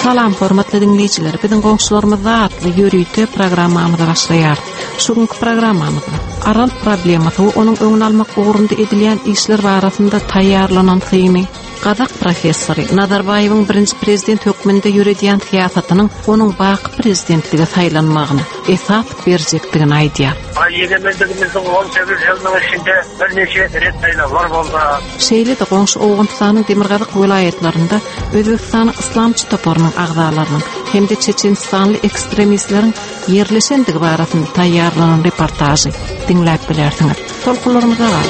Salam hormatly diňleýjiler, biziň goňşularymyzda atly ýörite programmamyza başlaýarys. Şu günki programmamyzda Aral problemasy we onuň öňüni almak ugrunda edilýän işler barasynda taýýarlanan syny, gazak professory Nazarbaýewiň birinji prezident hökmünde ýöredýän syýasatynyň onuň baky prezidentlige saýlanmagyna esas berjekdigini aýdýar. Egemenligimizin 18 ýylynyň içinde birnäçe ret saýlawlar boldy. Şeýle-de goňşy Owganystanyň demirgazyk welaýatlarynda Özbegistanyň Yslamçy toparynyň agzalarynyň hem-de çeçenistanly ekstremistleriň ýerleşendigi barasynda taýýarlanan reportažy diňläp bilersiňiz. Tolkunlarymyza galyň!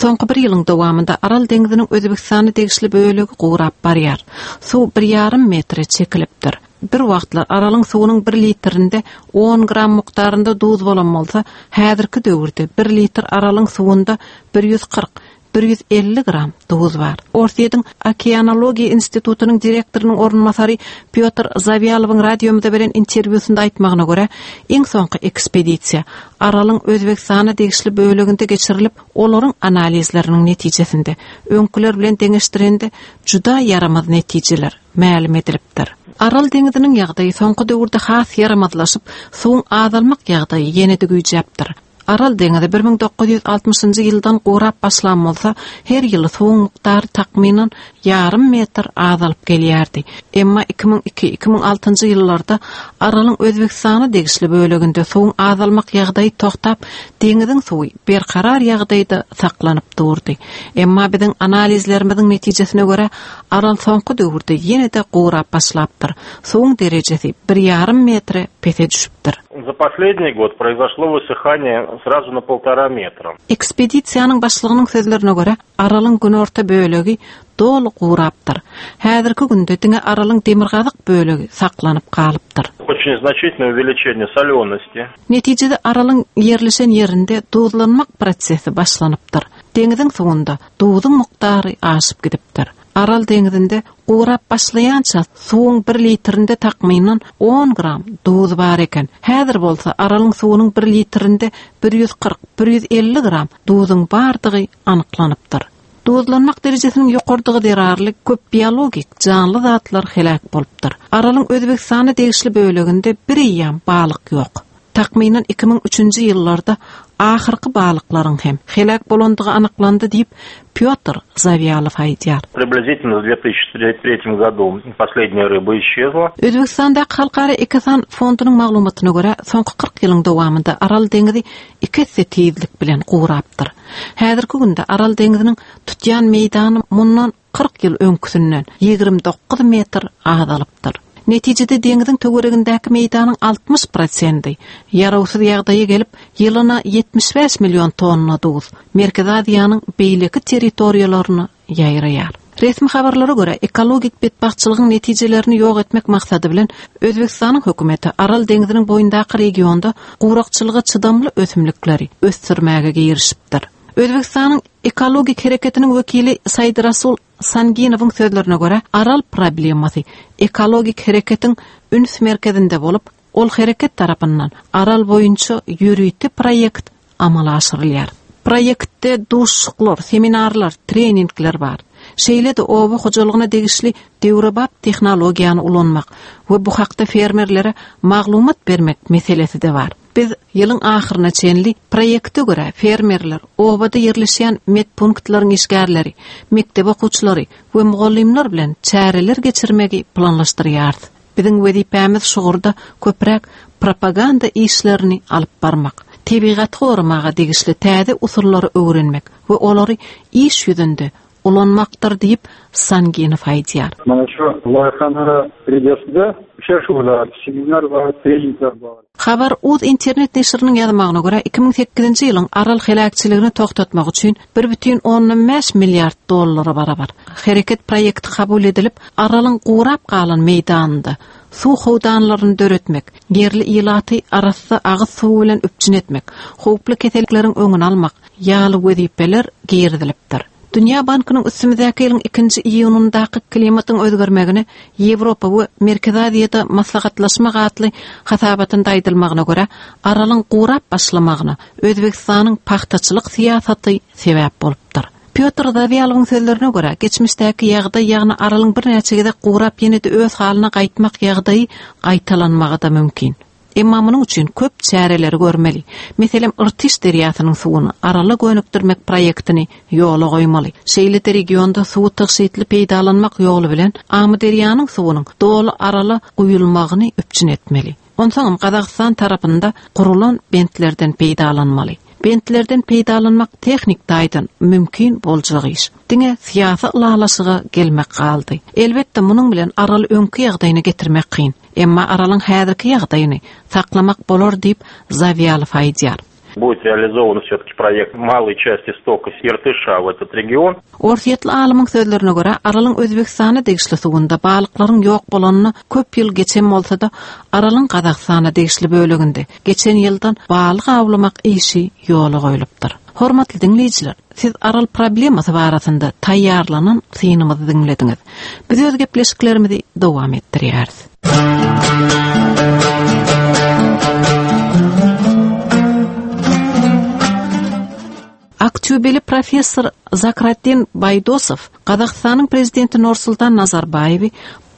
Soňky bir ýylyň dowamynda Aral deňziniň Özbegistana degişli bölegi gurap barýar. Suw bir ýarym metre çekilipdir. Bir wagtlar Aralyň suwunyň bir litrinde on gram mukdarynda duz bolan bolsa, häzirki döwürde bir litr Aralyň suwunda 140, 150 gram duz bar. Orsýetiň Okeanologiýa institutynyň direktorynyň orunbasary Pýotr Zawýalowyň radiomyza beren interwýusynda aýtmagyna görä, iň soňky ekspedisiýa Aralyň Özbegistana degişli böleginde geçirilip, olaryň analizleriniň netijesinde, öňküler bilen deňeşdirende juda ýaramaz netijeler mälim edilipdir. Aral deňziniň ýagdaýy soňky döwürde has ýaramazlaşyp, suwuň azalmak ýagdaýy ýene-de güýjäpdir. Aral deňizi 1960-njy ýyldan gurap başlan bolsa, her ýyly suwuň mukdary takmynan ýarym metr azalyp gelýärdi. Emma 2002, 2006-njy ýyllarda Aralyň Özbegistana degişli böleginde suwuň azalmak ýagdaýy togtap, deňiziň suwy berkarar ýagdaýda saklanyp durdy. Emma biziň analizlerimiziň netijesine görä, Aral soňky döwürde ýene-de gurap başlapdyr. Suwuň derejesi bir ýarym metre pese düşüpdir. За последний год произошло высыхание сразу на полтора метра. Ekspedisiýanyň başlygynyň sözlerine görä, Aralyň günorta bölegi doly gurapdyr. Häzirki günde diňe Aralyň demirgazyk bölegi saklanyp galypdyr. Очень значительное увеличение солености. Netijede Aralyň ýerleşen ýerinde duzlanmak prosesi başlanypdyr. Deňiziň suwunda duzuň mukdary aşyp gidipdir. Aral deňzinde gurap başlaýança suwuň bir litrinde takmynan on gram duz bar eken. Häzir bolsa Aralyň suwunyň bir litrinde 140, 150 gram duzuň bardygy anyklanypdyr. Duzlanmak derejesiniň ýokarydygy zerarly köp biologik janly zatlar heläk bolupdyr. Aralyň Özbegistana degişli böleginde bireýýäm balyk ýok. Takmynan 2003-nji ýyllarda ahyrky balyklaryň hem heläk bolandygy anyklandy diýip, Pýotr Zawýalow aýdýar. Priblizitelno w 2003 году последняя рыба исчезла. Özbegistandaky Halkara Ekosan fondunyň maglumatyna görä, soňky 40 ýylyň dowamynda Aral deňizi iki esse tizlik bilen gurapdyr. Häzirki günde Aral deňziniň tutýan meýdany mundan 40 ýyl öňküsinden 29 metr azalypdyr. Netijede deňziň töweregindäki meýdanyň 60 prosendi ýarawsyz ýagdaýa gelip, ýylyna 75 million tonna duz Merkezi Aziýanyň beýleki territoriýalaryna ýaýraýar. Resmi habarlara görä, ekologik betbagtçylygyň netijelerini ýok etmek maksady bilen Özbegistanyň hökümeti Aral deňziniň boýundaky regionda gurakçylyga çydamly ösümlikleri ösdürmäge girişipdir. Özbegistanyň ekologik hereketiniň wekili Saidrasul Sanginowyň sözlerine görä, Aral problemasy ekologik hereketiň üns merkezinde bolup, ol hereket tarapyndan Aral boýunça ýörite proýekt amala aşyrylýar. Proýektde duşuşyklar, seminarlar, treningler bar. Şeýle-de oba hojalygyna degişli döwrebap tehnologiýany ulanmak we bu hakda fermerlere maglumat bermek meselesi-de bar. Biz ýylyň ahyryna çenli proýekte görä fermerler, obada ýerleşýän medpunktlaryň işgärleri, mekdep okuwçylary we mugallymlar bilen çäreler geçirmegi planlaşdyrýarys. Biziň wezipämiz şu ugurda köpräk propaganda işlerini alyp barmak, tebigaty goramaga degişli täze usullary öwrenmek we olary iş ýüzünde ulanmakdyr diýip, Sanginow aýdýar. Mana şu loýhany rejesinde uçraşuwlar, seminarlar, treningler bar. Habar uz internet neşiriniň ýazmagyna görä, 2008-nji ýylyň Aral heläkçiligini togtatmak üçin 1,5 milliard dollara barabar hereket proýekti kabul edilip, Aralyň gurap galan meýdanynda suw howdanlaryny döretmek, ýerli ilaty arassa agyz suwy bilen üpjün etmek, howply kesellikleriň öňüni almak ýaly wezipeler girizilipdir. Dünýä bankynyň üstümizdäki ýylyň ikinji iýunyndaky Klimatyň özgermegine Ýewropa we Merkezi Aziýada maslahatlaşmak atly hasabatynda aýdylmagyna görä, Aralyň gurap başlamagyna Özbegistanyň pagtaçylyk syýasaty sebäp bolupdyr. Pýotr Zawýalowyň sözlerine görä, geçmişdäki ýagdaý, ýagny Aralyň birnäçe gezek gurap ýene-de öz halyna gaýtmak ýagdaýy gaýtalanmagy-da mümkin. Emma munuň üçin köp çäreleri görmeli. Meselem, Irtyş derýasynyň suwuny Arala gönükdirmek proýektini ýola goýmaly. Şeýle-de regionda suwy tygşytly peýdalanmak ýoly bilen Amyderýanyň suwunyň doly Arala guýulmagyny üpjün etmeli. Onsoňam Gazagystan tarapynda gurulan bentlerden peýdalanmaly. Bentlerden peýdalanmak tehnik taýdan mümkin boljak iş. Diňe syýasy ylalaşyga gelmek galdy. Elbetde, munuň bilen Araly öňki ýagdaýyna getirmek kyn. Emma Aralyň häzirki ýagdaýyny saklamak bolar diýip, Zawýalow aýdýar. Будет realizowan wsýotki proýekt maloý çasti stoka Irtyşa w etot region. Orsýetli alymyň sözlerine görä, Aralyň Özbegistana degişli suwunda balyklaryň ýok bolanyna köp ýyl geçen bolsa-da, Aralyň Gazagystana degişli böleginde geçen ýyldan balyk awlamak işi ýola goýlupdyr. Hormatly diňleýjiler, siz Aral problemasy barasynda taýýarlanan synymyzy diňlediňiz. Biz öz gepleşiklerimizi dowam etdirýäris. Aktýubeli professor Zakratdin Baýdosow Gazagystanyň prezidenti Nursultan Nazarbaýewi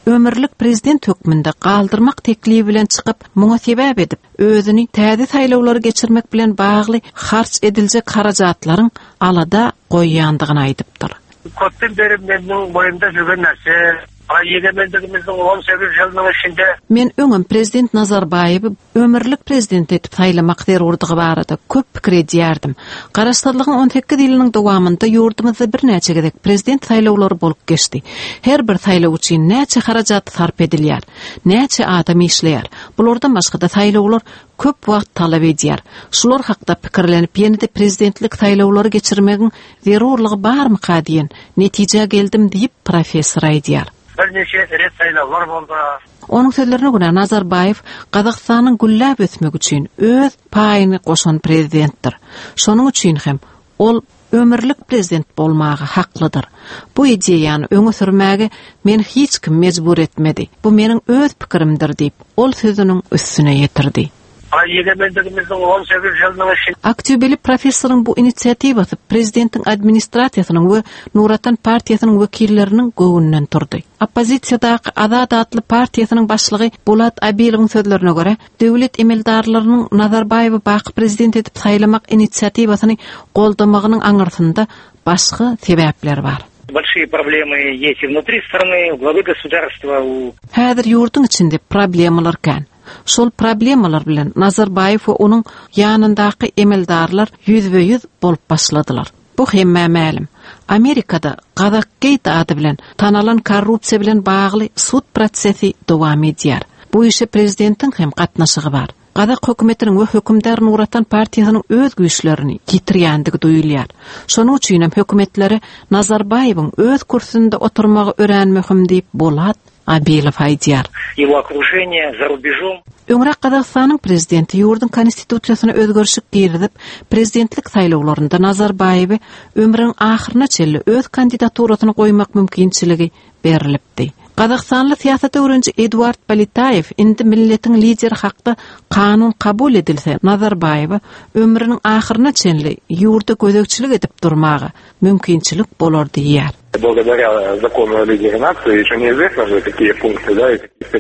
ömürlik prezident hökmünde galdyrmak teklibi bilen çykyp, muňa sebäp edip, özüni täze saýlawlary geçirmek bilen bagly harç ediljek harajatlaryň alada goýýandygyny aýdypdyr. Köpden beri meniň boýumda jürgen närse. Egemenligimizniň 18 ýylynyň içinde. Men öňem prezident Nazarbaýewi ömürlik prezident edip saýlamak zerurdygy barada köp pikir edýärdim. Garaşsyzlygyň 18 ýylynyň dowamynda ýurdumyzda birnäçe gezek prezident saýlawlary bolup geçdi. Her bir saýlaw üçin näçe harajat sarp edilýär? Näçe adam işleýär? Bulardan başga-da saýlawlar köp wagt talap edýär. Şular hakda pikirlenip ýene-de prezidentlik saýlawlary geçirmegiň zerurlygy barmyka diýen netijä geldim diýip, professor aýdýar. Birnäçe ret saýlawlar boldy. Onuň sözlerine görä, Nazarbaýew Gazagystanyň gülläp ösmegi üçin öz paýyny goşan prezidentdir. Şonuň üçin hem ol ömürlik prezident bolmaga haklydyr. Bu ideýany öňe sürmäge meni hiç kim mejbur etmedi. Bu meniň öz pikirimdir diýip, ol sözüniň üstüne ýetirdi. Egemenligimizniň 18 ýylynyň içinde. Aktýubeli professoryň bu inisiatiwasy prezidentiň administrasiýasynyň we Nur Otan partiýasynyň wekilleriniň göwnünden turdy. Oppozisiýadaky Azat atly partiýasynyň başlygy Bulat Abilowyň sözlerine görä, döwlet emeldarlarynyň Nazarbaýewi baky prezident edip saýlamak inisiatiwasyny goldamagynyň aňyrsynda başga sebäpler bar. Bolşiýe problemy ýest i vnutri strany, u glavy gosudarstwa, u. Häzir ýurduň içinde problemalar kän. Şol problemalar bilen Nazarbaýew we onuň ýanyndaky emeldarlar ýüzbe-ýüz bolup başladylar. Bu hemmä mälim. Amerikada Gazakgeýt ady bilen tanalan korrupsiýa bilen bagly sud prosesi dowam edýär. Bu işe prezidentiň hem gatnaşygy bar. Gazak hökümetiniň we hökümdar Nur Otan partiýasynyň öz güýçlerini ýitirýändigi duýulýar. Şonuň üçinem hökümetlere Nazarbaýewiň öz kürsüsinde oturmagy örän möhüm diýip, Bolat Abilow aýdýar. Ýego okruženiýe za rubežom. Öňräk Gazagystanyň prezidenti ýurduň konstitusiýasyna özgerişik girizip, prezidentlik saýlawlarynda Nazarbaýewe ömrüniň ahyryna çenli öz kandidaturasyny goýmak mümkinçiligi berlipdi. Gazagystanly syýasat öwreniji Eduard Politaýew indi milletiň lideri hakda kanun kabul edilse, Nazarbaýewe ömrüniň ahyryna çenli ýurda gözegçilik edip durmaga mümkinçilik bolar diýýär.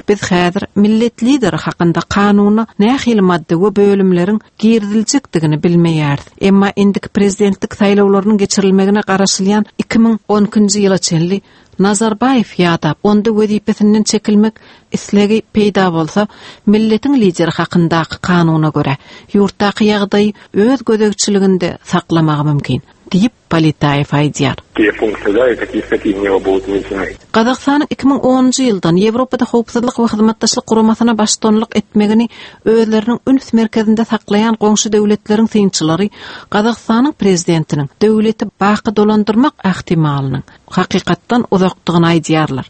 Biz häzir millet lideri hakynda kanuna nähili madda we bölümleriň giriziljekdigini bilmeýäris. Emma indiki prezidentlik saýlawlarynyň geçirilmegine garaşylýan 2012-nji ýyla çenli Nazarbaýew ýadap, onda wezipesinden çekilmek islegi peýda bolsa, milletiň lideri hakyndaky kanuna görä, ýurtdaky ýagdaýy öz gözegçiliginde saklamagy mümkin. Diýip, Politaýew aýdýar. Gazagystanyň 2010-njy ýyldan Ýewropada Howpsuzlyk we Hyzmatdaşlyk Guramasyna baştutanlyk etmegini özleriniň üns merkezinde saklaýan goňşy döwletleriň synçylary Gazagystanyň prezidentiniň döwleti baky dolandyrmak ähtimalynyň hakykatdan uzakdygyny aýdýarlar.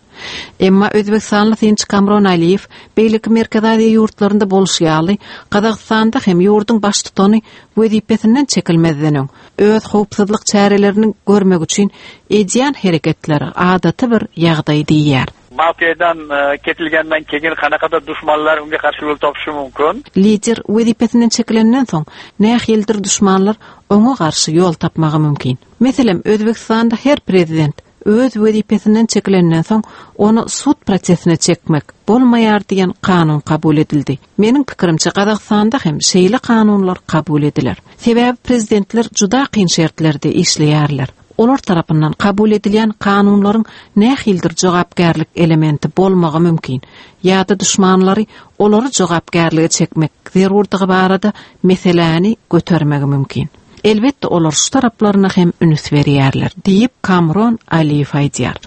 Emma özbegistanly synçy Kamron Aliýew beýleki Merkezi Aziýa ýurtlarynda bolşy ýaly, Gazagystanda hem ýurduň baştutany wezipesinden çekilmezden öň, öz howpsuzlyk çärelerini görmek üçin edýän hereketleri adaty bir ýagdaý diýýär. Mavqedan ketilgandan keyin qanaqadir dushmanlar unga qarshi yo'l topishi mumkin. Lider wezipesinden çekilenden soň, nähilidir duşmanlar oňa garşy ýol tapmagy mümkin. Meselem, Özbegistanda her prezident öz wezipesinden çekilenden soň, ony sud prosesine çekmek bolmaýar diýen kanun kabul edildi. Meniň pikirimçe, Gazagystanda hem şeýle kanunlar kabul ediler. Sebäbi prezidentler juda kyn şertlerde işleýärler. Olar tarapyndan kabul edilýän kanunlaryň nähilidir jogapkärlik elementi bolmagy mümkin ýa-da duşmanlary olary jogapkärlige çekmek zerurdygy barada meseläni götermegi mümkin. Elbetde olar şu taraplaryna hem üns berýärler, diýip, Kamron Aliýew aýdýar.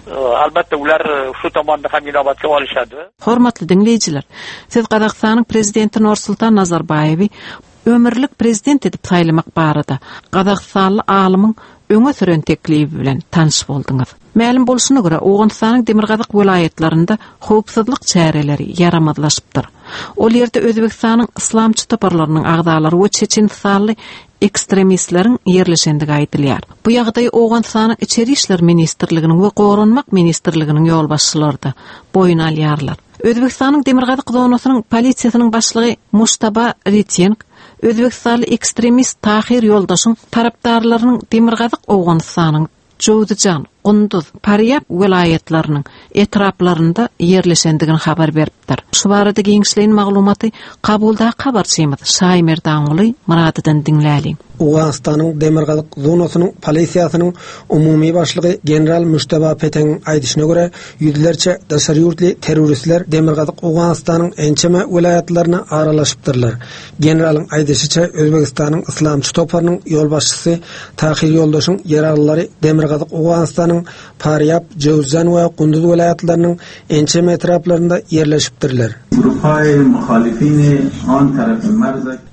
Albatta ular shu tomonni ham inobatga olishadi. Hormatly diňleýjiler, siz Gazagystanyň Prezidenti Norsultan Nazarbaýewi ömürlik prezident edip saýlamak barada gazagystanly alymyň öňe süren teklibi bilen tanyş bolduňyz. Mälim bolşuna görä, Owganystanyň demirgazyk welaýatlarynda howpsuzlyk çäreleri ýaramazlaşypdyr. Ol ýerde Özbegistanyň yslamçy toparlarynyň agzalary we çeçenistanly ekstremistleriň ýerleşendigi aýdylýar. Bu ýagdaýy Owganystanyň Içeri işler ministrliginiň we Goranmak ministrliginiň ýolbaşçylary-da boýun alýarlar. Özbegistanyň demirgazyk zonasynyň polisiýasynyň başlygy Mujtaba Ritýenk özbegistanly ekstremist Tahyr Ýoldaşyň tarapdarlarynyň demirgazyk Owganystanyň Jowzjan, Gunduz, Parýab welaýatlarynyň etraplarynda ýerleşendigini habar beripdir. Şu barada giňişleýin maglumaty Kabuldaky habarçymyz Şaýmerdanguly Myradydan diňläliň. Owganystanyň demirgazyk zonasynyň polisiýasynyň umumy başlygy general Mujtaba Peteňiň aýdyşyna görä, ýüzlerçe daşary ýurtly terroristler demirgazyk Owganystanyň ençeme welaýatlaryna aralaşypdyrlar. Generalyň aýdyşyça, Özbegistanyň yslamçy toparynyň ýolbaşçysy Tahyr Ýoldaşyň ýaraglylary demirgazyk Owganystanyň Parýab, Jöwzjan we Gunduz welaýatlarynyň ençeme etraplarynda ýerleşipdirler.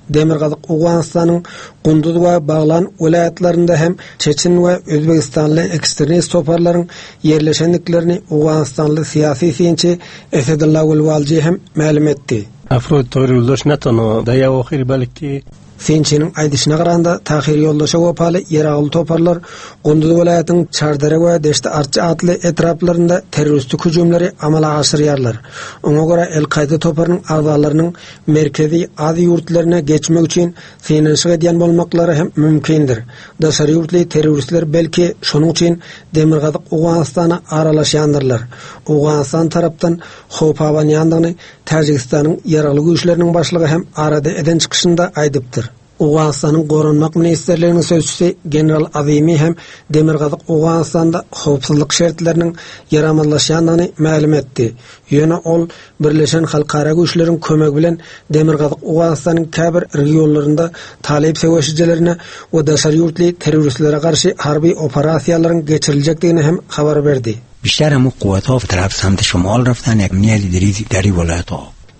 Demirgazyk Owganystanyň Gunduz we Baglan welaýatlarynda hem çeçen we özbegistanly ekstremist toparlaryň ýerleşendiklerini owganystanly syýasy synçy Esedulla Gulwalji hem mälim etdi. Afrod Tahyr Ýoldaş ne tanho dar awakhir balki Synçynyň aýdyşyna garanda, Tahyr Ýoldaşa wepaly ýeragly toparlar Gunduz welaýatynyň Çardere we Deşti-Arçy atly etraplarynda terroristik hüjümleri amala aşyrýarlar. Oňa görä, El-Kaýda toparynyň agzalarynyň Merkezi Aziýa ýurtlaryna geçmek üçin synanyşyk edýän bolmaklary hem mümkindir. Daşary ýurtly terroristler belki şonuň üçin Demirgazyk Owganystana aralaşýandyrlar. Owganystan tarapdan howp abanýandygyny Täjigistanyň Ýaragly güýçleriniň başlygy hem arada eden çykyşynda aýdypdyr. Owganystanyň Goranmak ministrliginiň sözçüsi general Azimi hem Demirgazyk Owganystanda howpsuzlyk şertleriniň ýaramazlaşýandygyny mälim etdi. Ýöne ol Birleşen halkara güýçleriň kömegi bilen Demirgazyk Owganystanyň käbir regionlarynda talyp söweşijilerine we daşary ýurtly terroristlere garşy harby operasiýalaryň geçiriljekdigini hem habar berdi. بیشتر همو قوتها به طرف سمت شمال رفتن یک نیلی دریزی دری ولایت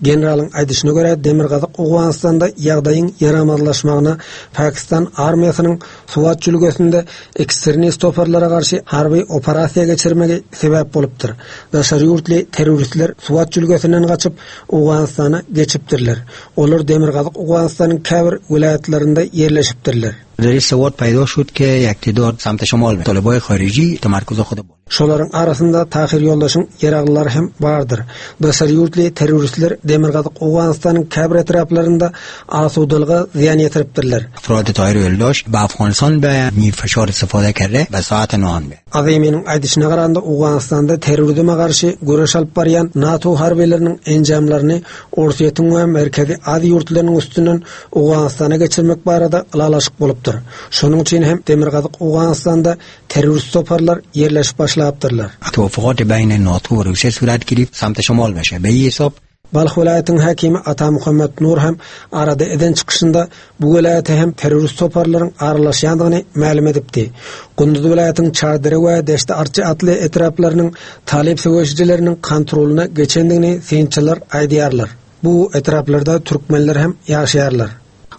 Generalyň aýdyşyna görä, Demirgazyk Owganystanda ýagdaýyň ýaramazlaşmagyna Pakistan armiýasynyň Suwat jülgesinde ekstremist toparlara garşy harby operasiýa geçirmegi sebäp bolupdyr. Daşary ýurtly terroristler Suwat jülgesinden gaçyp, Owganystana geçipdirler. Olar Demirgazyk Owganystanyň käbir welaýatlarynda ýerleşipdirler. در این سواد پیدا شد که یک تعداد سمت شمال طالبای خارجی تمرکز خود Şolaryň arasynda Tahyr ýoldaşyň ýaraglylary hem bardyr. Daşary ýurtly terroristler Demirgazyk Owganystanyň käbir etraplarynda asudalyga zyýan ýetiripdirler. افراد طاهر یولداش به افغانستان به می فشار استفاده کرده به ساعت نان به. Aziminiň aýdyşyna garanda, Owganystanda terrorizme garşy göreş alyp barýan NATO harbylarynyň enjamlaryny Orsýetiň we Merkezi Aziýa ýurtlarynyň üstünden Owganystana geçirmek barada ylalaşyk bolupdyr. Şonuň üçin hem Demirgazyk Owganystanda terrorist toparlar ýerleşip başlapdyrlar. توافقات بین ناتو و روسیه صورت گرفت سمت شمال بشه به این حساب Balh welaýatynyň häkimi Atamuhammet Nur hem arada eden çykyşynda bu welaýata hem terrorist toparlaryň aralaşýandygyny mälim edipdi. Gunduz welaýatynyň Çardere we Deşti-Arçy atly etraplarynyň talyp söweşijileriniň kontrolyna geçendigini synçylar aýdýarlar. Bu etraplarda türkmenler hem ýaşaýarlar.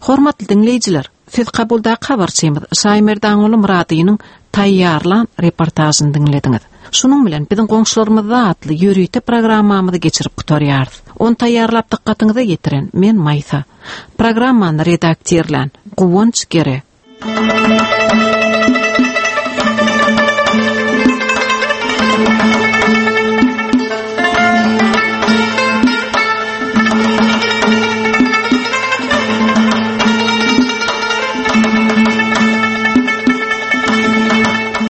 Hormatly diňleýjiler, siz Kabuldaky habarçymyz Şaýmerdanguly Myradynyň taýýarlan reportažyny diňlediňiz. Şunuň bilen biziň goňşularymyzda atly ýörite programmamyzy geçirip gutarýarys. Ony taýýarlap dykgatyňyza ýetiren men Maýsa. Programmany redaktirlän Guwanç Gere.